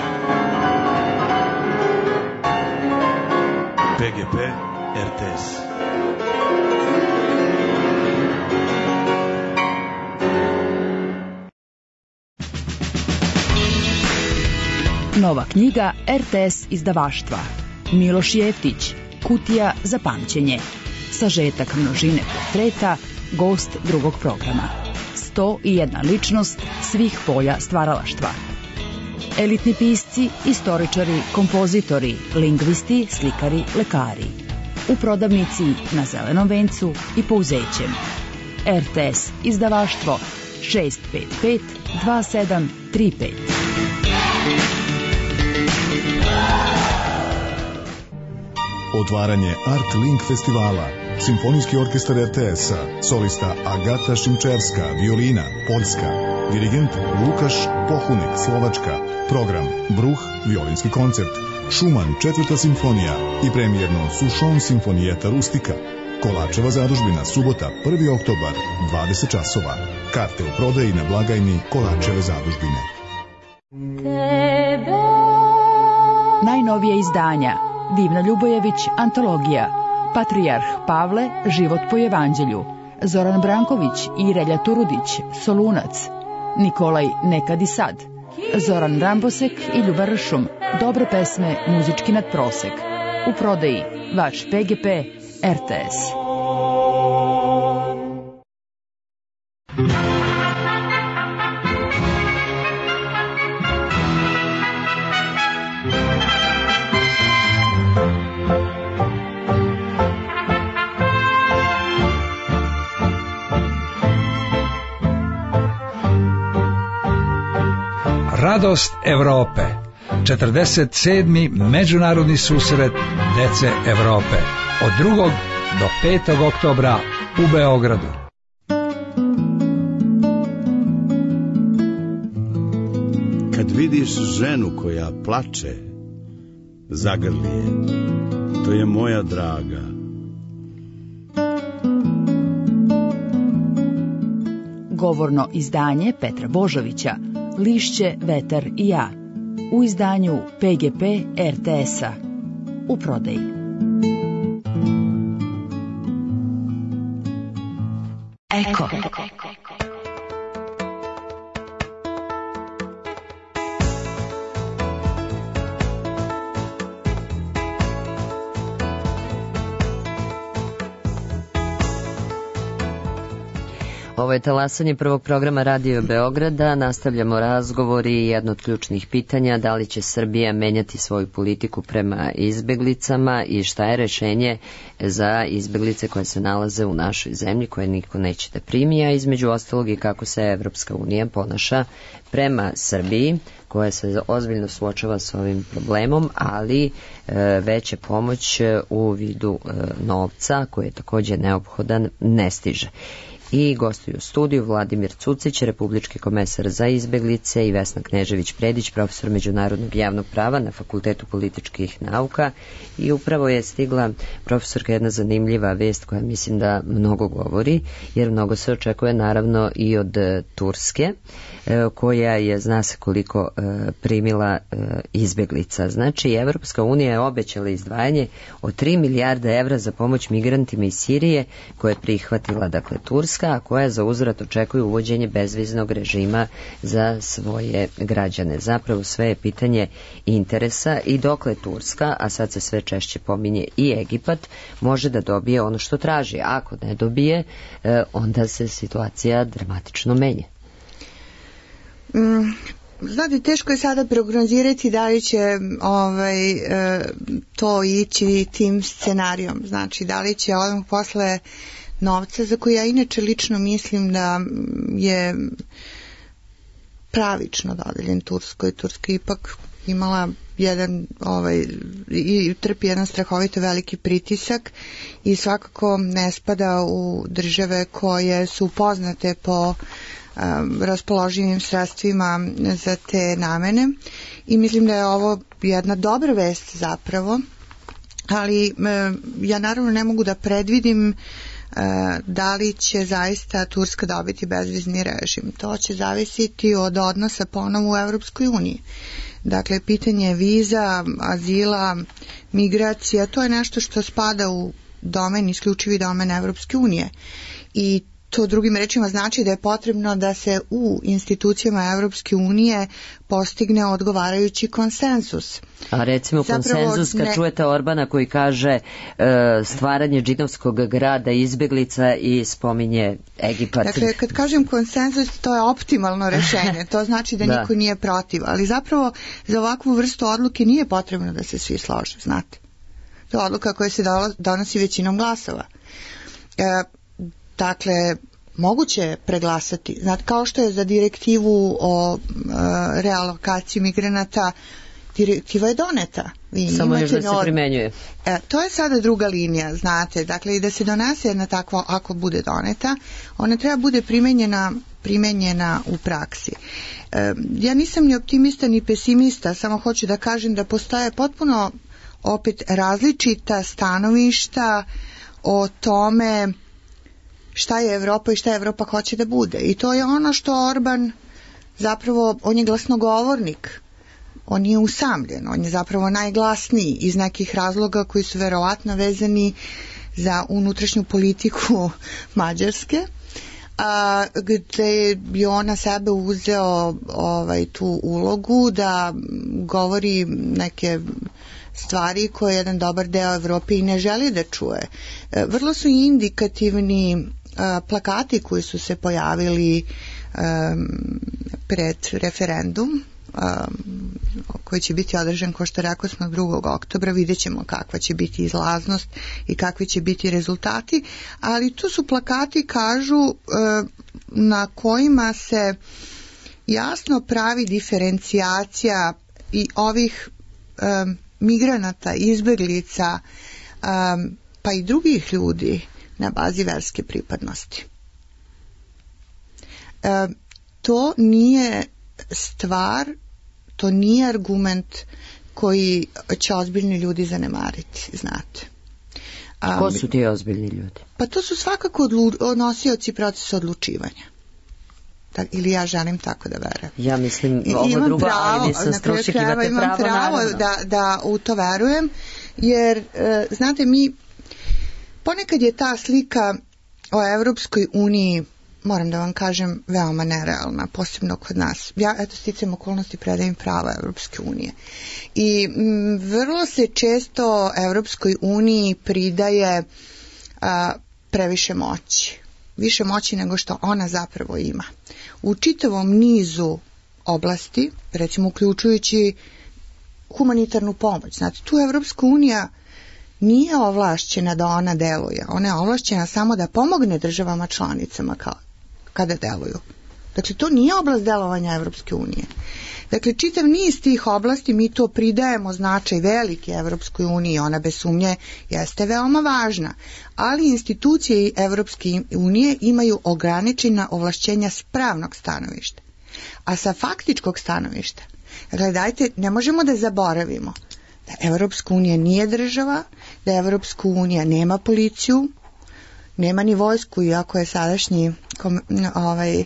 P G P R T S. Nova knjiga R T S izdavaštva. Miloš Jeftić, Kutija za pamćenje. Sažetak množine portreta, gost drugog programa. sto i jedna ličnost svih polja stvaralaštva. Elitni pisci, istoričari, kompozitori, lingvisti, slikari, lekari. U prodavnici na Zelenom vencu i Pouzećem. R T S izdavaštvo šest pet pet dva sedam tri pet. Otvaranje Art Link festivala. Simfonijski orkestar er te es-a, solista Agata Šimčerska, violina, Poljska, dirigent Lukaš Pohunek, Slovačka, program Bruh, violinski koncert, Šuman, četvrta simfonija i premijerno Sušon simfonijeta Rustika. Kolačeva zadužbina, subota, prvi oktobar, dvadeset časova. Karte u prodaji na blagajni Kolačeve zadužbine. Najnovije izdanja: Divna Ljubojević, antologija, Patrijarh Pavle, život po evanđelju, Zoran Branković i Relja Turudić, Solunac, Nikolaj Nekad i sad, Zoran Rambosek i Ljuba Ršum, dobre pesme, muzički nadprosek. U prodaji vaš pe ge pe er te es. Radost Evrope. četrdeset sedmi međunarodni susret dece Evrope. Od drugog do petog oktobra u Beogradu. Kad vidiš ženu koja plače, zagrli je. To je moja draga. Govorno izdanje Petra Božovića, Lišće, vetar i ja, u izdanju pe ge pe er te es-a, u prodaji. Eko. Ovo je talasanje prvog programa Radio Beograda. Nastavljamo razgovor i jedno od ključnih pitanja: da li će Srbija menjati svoju politiku prema izbeglicama i šta je rešenje za izbeglice koje se nalaze u našoj zemlji, koje niko neće da primi, a između ostalog i kako se Evropska unija ponaša prema Srbiji, koja se ozbiljno suočava s ovim problemom, ali e, veća pomoć u vidu e, novca, koji je također neophodan, ne stiže. I gostuju u studiju Vladimir Cucić, republički komesar za izbeglice, i Vesna Knežević-Predić, profesor međunarodnog javnog prava na Fakultetu političkih nauka. I upravo je stigla, profesorka, jedna zanimljiva vest koja mislim da mnogo govori, jer mnogo se očekuje naravno i od Turske, koja je, zna se koliko, primila izbeglica. Znači, Evropska unija je obećala izdvajanje od tri milijarde evra za pomoć migrantima iz Sirije, koje je prihvatila, dakle, Turska, a koja za uzvrat očekuje uvođenje bezviznog režima za svoje građane. Zapravo sve je pitanje interesa i dokle Turska, a sad se sve češće pominje i Egipat, može da dobije ono što traži. Ako ne dobije, onda se situacija dramatično menja. Mm, znate, teško je sada prognozirati da li će ovaj, to ići tim scenarijom. Znači, da li će odmah posle novca, za koji ja inače lično mislim da je pravično dodeljen Turskoj. Turska ipak imala jedan, ovaj, i trpi jedan strahovito veliki pritisak i svakako ne spada u države koje su poznate po um, raspoloživim sredstvima za te namene, i mislim da je ovo jedna dobra vest zapravo, ali um, ja naravno ne mogu da predvidim da li će zaista Turska dobiti bezvizni režim. To će zavisiti od odnosa ponovo u Evropskoj uniji. Dakle, pitanje viza, azila, migracija, to je nešto što spada u domen, isključivi domen Evropske unije. I to drugim rečima znači da je potrebno da se u institucijama Evropske unije postigne odgovarajući konsensus. A recimo Zapravo, konsenzus kad ne... čujete Orbana koji kaže e, stvaranje džinovskog grada izbeglica i spominje Egipat. Dakle, kad kažem konsenzus, to je optimalno rešenje. To znači da, da niko nije protiv. Ali zapravo za ovakvu vrstu odluke nije potrebno da se svi slože, znate. To je odluka koja se donosi većinom glasova. E, Dakle, moguće je preglasati. Znate, kao što je za direktivu o e, realokaciji migranata direktiva je doneta. Vi Samo još da imate se nor- primenjuje. E, to je sada druga linija, znate, dakle i da se donese jedna takva, ako bude doneta, ona treba bude primenjena primenjena u praksi. E, ja nisam ni optimista ni pesimista, samo hoću da kažem da postoje potpuno opet različita stanovišta o tome šta je Evropa i šta Evropa hoće da bude. I to je ono što Orban zapravo, on je glasnogovornik, on je usamljen, on je zapravo najglasniji iz nekih razloga koji su verovatno vezani za unutrašnju politiku Mađarske, a, gde bi ona sebe uzeo ovaj, tu ulogu da govori neke stvari koje jedan dobar deo Evrope i ne želi da čuje. E, vrlo su indikativni a, plakati koji su se pojavili a, pred referendum Um, koji će biti održan, kao što rekao smo, drugog oktobra. Vidjet ćemo kakva će biti izlaznost i kakvi će biti rezultati, ali tu su plakati, kažu, uh, na kojima se jasno pravi diferencijacija i ovih um, migranata, izbeglica, um, pa i drugih ljudi na bazi verske pripadnosti. Uh, to nije stvar, to nije argument koji će ozbiljni ljudi zanemariti, znate. Um, Ko su ti ozbiljni ljudi? Pa to su svakako odlu- nosioci procesa odlučivanja. Tak, ili ja želim tako da verujem. Ja mislim ovo imam drugo, pravo, ali nisam stručnjak, imate imam pravo, pravo naravno. da, da u to verujem, jer, e, znate, mi ponekad je ta slika o Evropskoj uniji, moram da vam kažem, veoma nerealna, posebno kod nas. Ja, eto, sticam okolnosti, predajem prava Evropske unije. I m, vrlo se često Evropskoj uniji pridaje a, previše moći. Više moći nego što ona zapravo ima. U čitavom nizu oblasti, recimo uključujući humanitarnu pomoć. Znate, tu Evropska unija nije ovlašćena da ona deluje. Ona je ovlašćena samo da pomogne državama članicama kao, kada deluju. Dakle, to nije oblast delovanja Evropske unije. Dakle, čitav niz tih oblasti mi to pridajemo značaj velike Evropskoj uniji, ona bez sumnje jeste veoma važna, ali institucije Evropske unije imaju ograničena ovlašćenja s pravnog stanovišta. A sa faktičkog stanovišta, dakle, dajte, ne možemo da zaboravimo da Evropska unija nije država, da Evropska unija nema policiju, nema ni vojsku, iako je sadašnji kom, ovaj,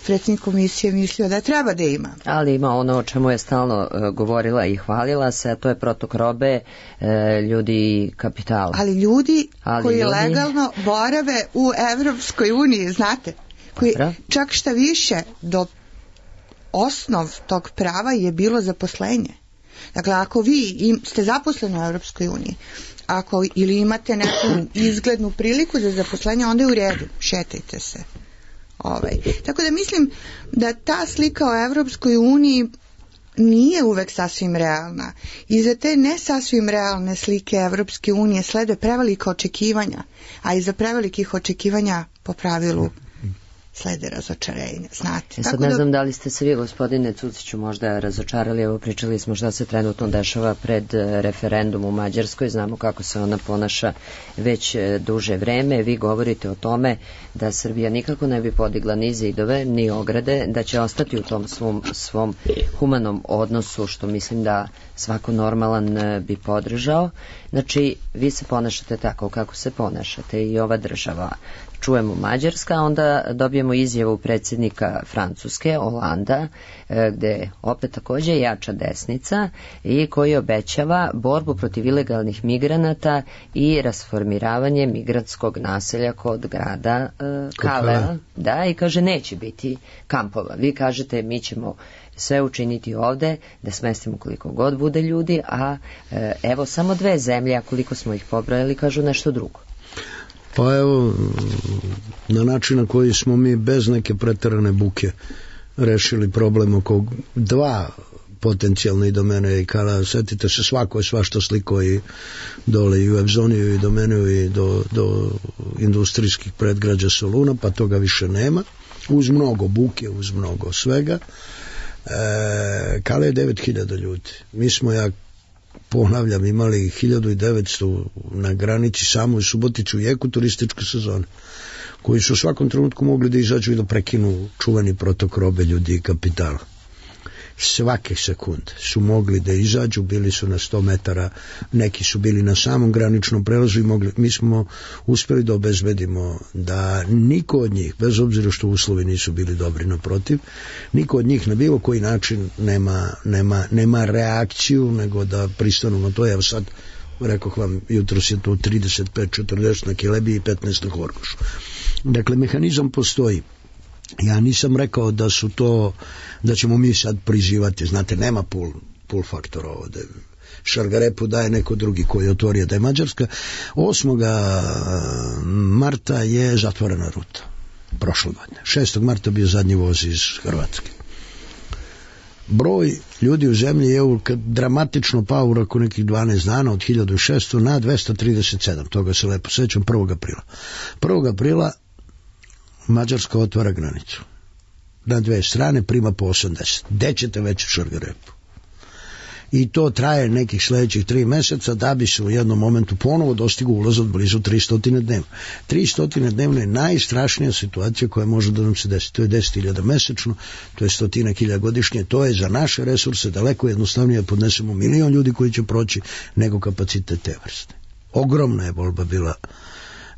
predsjednik komisije mislio da treba da ima. Ali ima ono o čemu je stalno uh, govorila i hvalila se, a to je protok robe, uh, ljudi i kapitala. Ali ljudi Ali koji ljudi... legalno borave u Evropskoj uniji, znate, koji Dobro. Čak šta više, do osnov tog prava je bilo zaposlenje. Dakle, ako vi im, ste zaposleni u Evropskoj uniji, ako ili imate neku izglednu priliku za zaposlenje, onda je u redu, šetajte se. Ovaj. Tako da mislim da ta slika o Evropskoj uniji nije uvek sasvim realna. I za te ne sasvim realne slike Evropske unije slede prevelika očekivanja, a iza prevelikih očekivanja po pravilu slede razočarenja, znate. E sad Tako ne da... znam da li ste se vi, gospodine Cuciću, možda razočarali, evo pričali smo šta se trenutno dešava pred referendum u Mađarskoj, znamo kako se ona ponaša već duže vreme, vi govorite o tome da Srbija nikako ne bi podigla ni zidove, ni ograde, da će ostati u tom svom, svom humanom odnosu, što mislim da svako normalan bi podržao. Znači, vi se ponašate tako kako se ponašate i ova država. Čujemo Mađarska, onda dobijemo izjavu predsjednika Francuske, Holanda, gde opet takođe jača desnica i koji obećava borbu protiv ilegalnih migranata i rasformiravanje migrantskog naselja kod grada uh, Kalea. Da, i kaže neće biti kampova. Vi kažete mi ćemo sve učiniti ovde, da smestimo koliko god bude ljudi, a e, evo samo dve zemlje, a koliko smo ih pobrojali, kažu nešto drugo. Pa evo, na način na koji smo mi bez neke preterane buke rešili problem oko dva potencijalne i domene i kada setite se, svako je svašta sliko i dole i u Evzoniju i do Meneu i do, do industrijskih predgrađa Soluna, pa toga više nema, uz mnogo buke, uz mnogo svega. E, Kale je devet hiljada ljudi. Mi smo, ja ponavljam, imali hiljadu devetsto na granici samo u Suboticu i jeku turističke sezone, koji su u svakom trenutku mogli da izađu i da prekinu čuveni protok robe, ljudi i kapitala. Svake sekunde su mogli da izađu, bili su na sto metara, neki su bili na samom graničnom prelazu i mogli, mi smo uspeli da obezbedimo da niko od njih, bez obzira što uslovi nisu bili dobri, naprotiv, niko od njih na bilo koji način nema, nema, nema reakciju, nego da pristanu na to. Evo sad, rekoh vam, jutros je to trideset pet četrdeset na Kelebiji i petnaest na Horgošu. Dakle, mehanizam postoji. Ja nisam rekao da su to, da ćemo mi sad prizivati, znate, nema pull, pull faktora ovde. Šargarepu daje neko drugi koji je otvorio da je Mađarska. osmog marta je zatvorena ruta. Prošle godine. šestog marta bio zadnji voz iz Hrvatske. Broj ljudi u zemlji je dramatično pao u roku nekih dvanaest dana od hiljadu šesto na dvesta trideset sedam. Toga se lepo sećam, prvog aprila. prvog aprila Mađarska otvara granicu. Na dve strane prima po osamdeset. Gde ćete već u Šargarepu? I to traje nekih sledećih tri meseca da bi se u jednom momentu ponovo dostigu ulaz od blizu tristo dnevno. tristo dnevno je najstrašnija situacija koja može da nam se desi. To je deset hiljada mesečno, to je stotinak hiljada godišnje, to je za naše resurse daleko jednostavnije da podnesemo milion ljudi koji će proći nego kapacitet te vrste. Ogromna je bolba bila.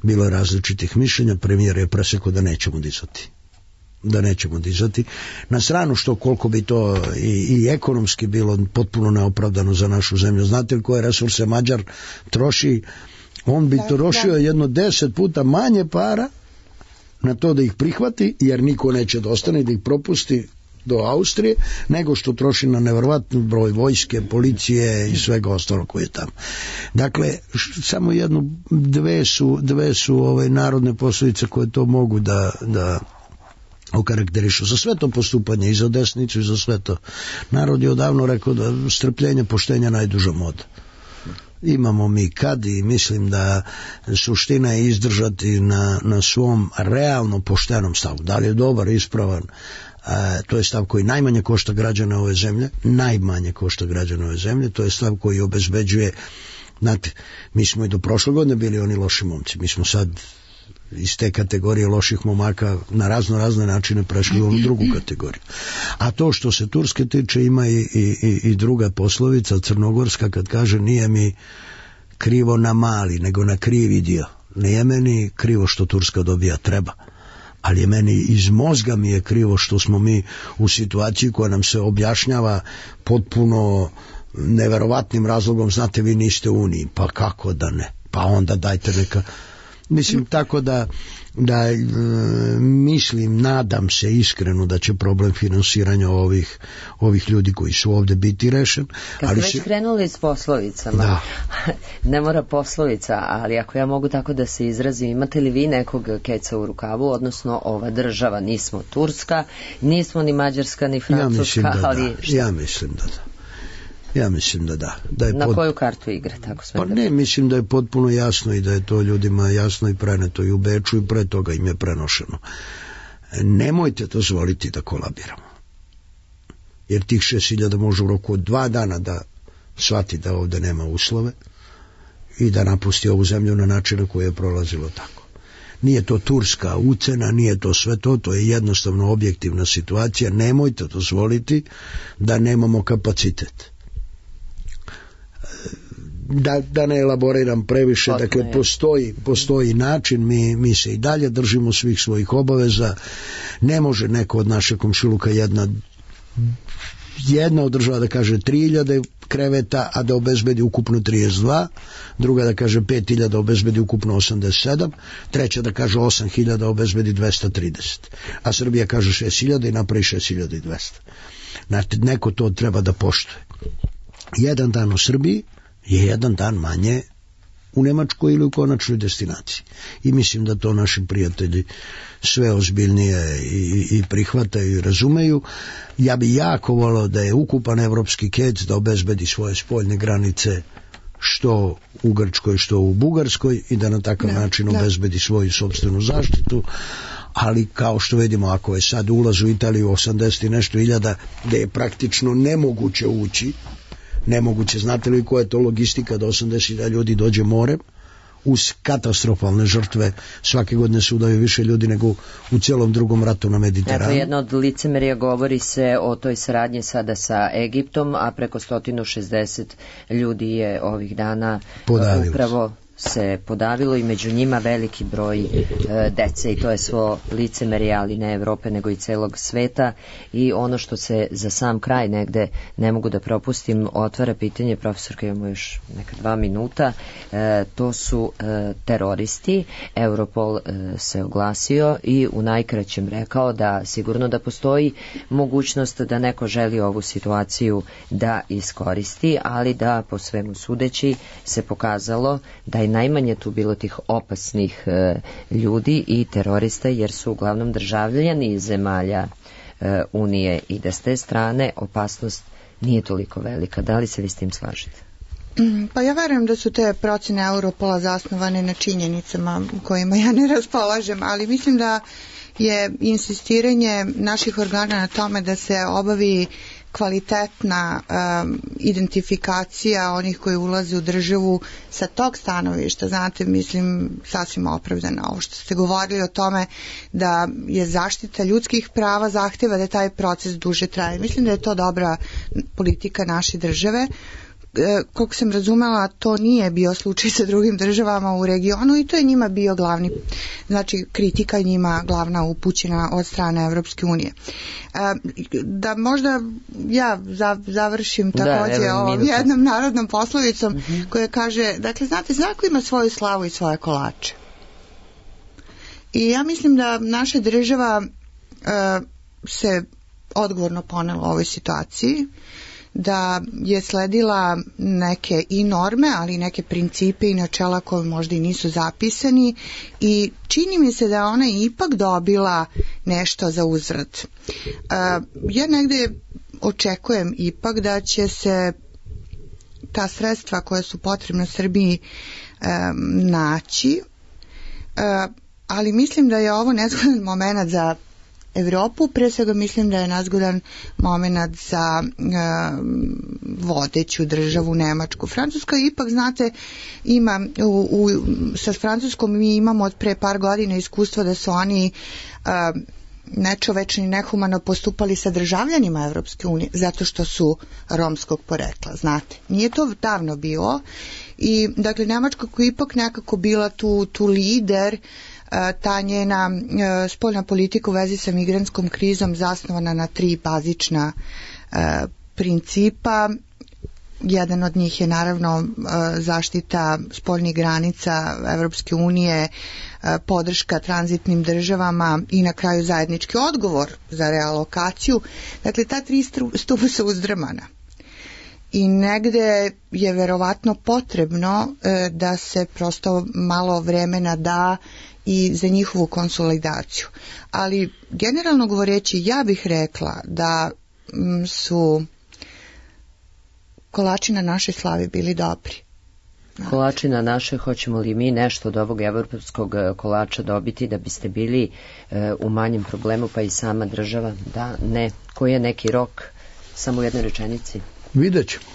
Bilo je različitih mišljenja, premijer je presekao da nećemo dizati. Da nećemo dizati. Na stranu što koliko bi to i, i ekonomski bilo potpuno neopravdano za našu zemlju. Znate li koje resurse Mađar troši? On bi trošio jedno deset puta manje para na to da ih prihvati, jer niko neće da ostane, da ih propusti do Austrije, nego što troši na neverovatni broj vojske, policije i svega ostalo koje je tamo. Dakle, samo jednu, dve su, dve su ove narodne poslovice koje to mogu da, da okarakterišu. Za sve to postupanje, i za desnicu, i za sve to. Narod je odavno rekao da strpljenje, poštenja najduža moda. Imamo mi kad i mislim da suština je izdržati na, na svom realno poštenom stavu. Da li je dobar, ispravan, a, to je stav koji najmanje košta građana ove zemlje, najmanje košta građana ove zemlje, to je stav koji obezbeđuje, znate, mi smo i do prošle godine bili oni loši momci, mi smo sad iz te kategorije loših momaka na razno razne načine prešli u onu drugu kategoriju. A to što se Turske tiče, ima i, i, i druga poslovica crnogorska kad kaže nije mi krivo na mali, nego na krivi dio. Nije meni krivo što Turska dobija, treba. Ali je meni iz mozga mi je krivo što smo mi u situaciji koja nam se objašnjava potpuno neverovatnim razlogom, znate, vi niste u Uniji, pa kako da ne, pa onda dajte neka. Mislim, tako da, da e, mislim, nadam se iskreno da će problem finansiranja ovih, ovih ljudi koji su ovde biti rešen. Kad ste već se... krenuli s poslovicama, da. Ne mora poslovica, ali ako ja mogu tako da se izrazim, imate li vi nekog keca u rukavu, odnosno ova država, nismo Turska, nismo ni Mađarska, ni Francuska, ja ali... Da. Ja mislim da da. Ja mislim da da. da je Na pod... koju kartu igre? Tako pa ne, mislim da je potpuno jasno i da je to ljudima jasno i preneto i u Beču i pre toga im je prenošeno. Nemojte dozvoliti da kolabiramo. Jer tih šest hiljada može u roku od dva dana da shvati da ovde nema uslove i da napusti ovu zemlju na način na koji je prolazilo tako. Nije to turska ucena, nije to sve to, to je jednostavno objektivna situacija. Nemojte dozvoliti da nemamo kapacitet. Da, da ne elaboriram previše, Potne. dakle postoji, postoji način, mi, mi se i dalje držimo svih svojih obaveza, ne može neko od naše komšiluka jedna jedna od država da kaže tri hiljade kreveta, a da obezbedi ukupno trideset dva, druga da kaže pet hiljada, obezbedi ukupno osamdeset sedam, treća da kaže osam hiljada, obezbedi dvesta trideset, a Srbija kaže šest hiljada i napravi šest hiljada dvesta. Znači, neko to treba da poštuje. Jedan dan u Srbiji je jedan dan manje u Nemačkoj ili u konačnoj destinaciji. I mislim da to naši prijatelji sve ozbiljnije i, i prihvataju i razumeju. Ja bi jako volao da je ukupan evropski kec da obezbedi svoje spoljne granice što u Grčkoj, što u Bugarskoj i da na takav da, način da. obezbedi svoju sopstvenu zaštitu. ali kao što vidimo, ako je sad ulaz u Italiju osamdeset i nešto hiljada, gde je praktično nemoguće ući, nemoguće, znate li koja je to logistika da osamdeset hiljada ljudi dođe morem, uz katastrofalne žrtve, svake godine se udaju više ljudi nego u cijelom drugom ratu na Mediteranu. Eto, jedno od licemerija, govori se o toj saradnji sada sa Egiptom, a preko sto šezdeset ljudi je ovih dana podavilo upravo se podavilo i među njima veliki broj e, dece, i to je svo licemerje, ali ne Evrope nego i celog sveta. I ono što se za sam kraj negde ne mogu da propustim, otvara pitanje, profesorka, imamo još neka dva minuta, e, to su e, teroristi. Europol e, se oglasio i u najkraćem rekao da sigurno da postoji mogućnost da neko želi ovu situaciju da iskoristi, ali da po svemu sudeći se pokazalo da je najmanje tu bilo tih opasnih e, ljudi i terorista, jer su uglavnom državljani iz zemalja e, Unije, i da s te strane opasnost nije toliko velika. Da li se vi s tim slažete? Pa ja verujem da su te procene Europola zasnovane na činjenicama kojima ja ne raspolažem, ali mislim da je insistiranje naših organa na tome da se obavi kvalitetna um, identifikacija onih koji ulaze u državu sa tog stanovišta, znate, mislim, sasvim opravdano. Ovo što ste govorili o tome da je zaštita ljudskih prava zahteva da taj proces duže traje. Mislim da je to dobra politika naše države. Koliko sam razumela, to nije bio slučaj sa drugim državama u regionu i to je njima bio glavni, znači kritika je njima glavna upućena od strane Evropske unije. Da možda ja završim također da, ovom jednom narodnom poslovicom mm-hmm. koja kaže, dakle, znate, svako ima svoju slavu i svoje kolače. I ja mislim da naša država uh, se odgovorno ponela u ovoj situaciji, da je sledila neke i norme, ali i neke principe i načela koje možda i nisu zapisani, i čini mi se da ona ipak dobila nešto za uzvrat. Uh, ja negde očekujem ipak da će se ta sredstva koja su potrebna Srbiji um, naći, uh, ali mislim da je ovo nezgodan moment za Evropu, pre svega mislim da je nezgodan moment za uh, vodeću državu Nemačku. Francuska ipak, znate, ima u, u, sa Francuskom mi imamo od pre par godina iskustva da su oni uh, nečovečno i nehumano postupali sa državljanima Evropske unije zato što su romskog porekla, znate. Nije to davno bilo i, dakle, Nemačka koja je ipak nekako bila tu, tu lider, ta njena spoljna politika u vezi sa migrantskom krizom zasnovana na tri bazična principa. Jedan od njih je naravno zaštita spoljnih granica Evropske unije, podrška tranzitnim državama i na kraju zajednički odgovor za realokaciju. Dakle, ta tri stupa su uzdrmana. I negde je verovatno potrebno da se prosto malo vremena da i za njihovu konsolidaciju. Ali generalno govoreći, ja bih rekla da su kolači na našoj slavi bili dobri. Kolači na naše, hoćemo li mi nešto od ovog evropskog kolača dobiti da biste bili e, u manjem problemu, pa i sama država? Da, ne. Koji je neki rok? Samo u jednoj rečenici. Vidjet ćemo.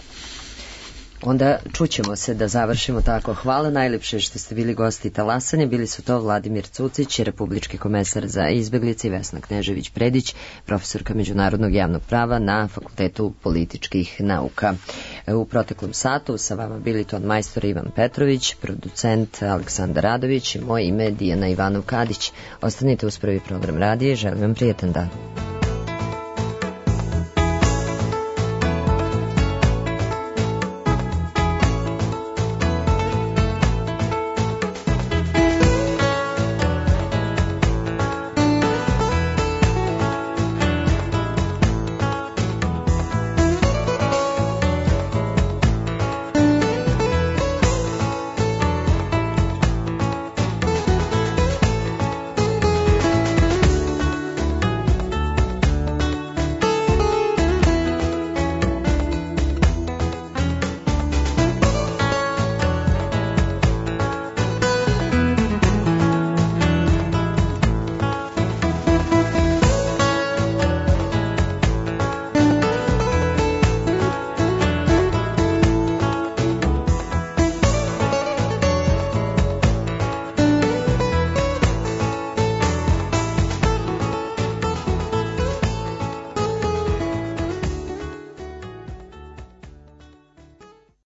Onda čućemo se da završimo tako. Hvala najlepše što ste bili gosti talasanja. Bili su to Vladimir Cucić, republički komesar za izbeglice, i Vesna Knežević-Predić, profesorka međunarodnog javnog prava na Fakultetu političkih nauka. U proteklom satu sa vama bili ton majstor Ivan Petrović, producent Aleksandar Radović i moje ime Dijana Ivanov-Kadić. Ostanite uz prvi program radije. Želim vam prijetan dan.